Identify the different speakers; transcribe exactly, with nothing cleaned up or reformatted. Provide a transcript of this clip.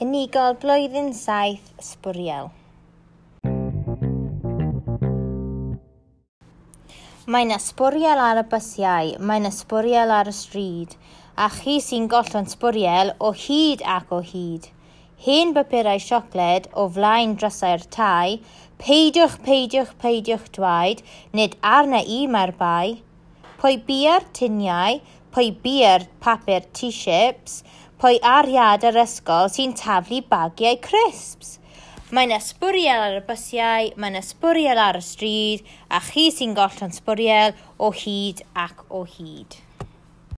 Speaker 1: Unigol blwyddyn saith, sbwriel. Mae 'na sbwriel ar y bysiau, mae 'na sbwriel ar y stryd, a chi sy'n gollwng sbwriel o hyd ac o hyd. Hen bapurau siocled o flaen drysau'r tai, peidiwch, peidiwch, peidiwch dweud, nid arna i mae'r bai. Pwy bia'r tuniau, pwy bia'r papur t-ships, pwy ar iard yr ysgol sy'n taflu bagiau crisps. Mae 'na sbwriel ar y bysiau, mae 'na sbwriel ar y stryd, a chi sy'n gollwng sbwriel o hyd ac o hyd.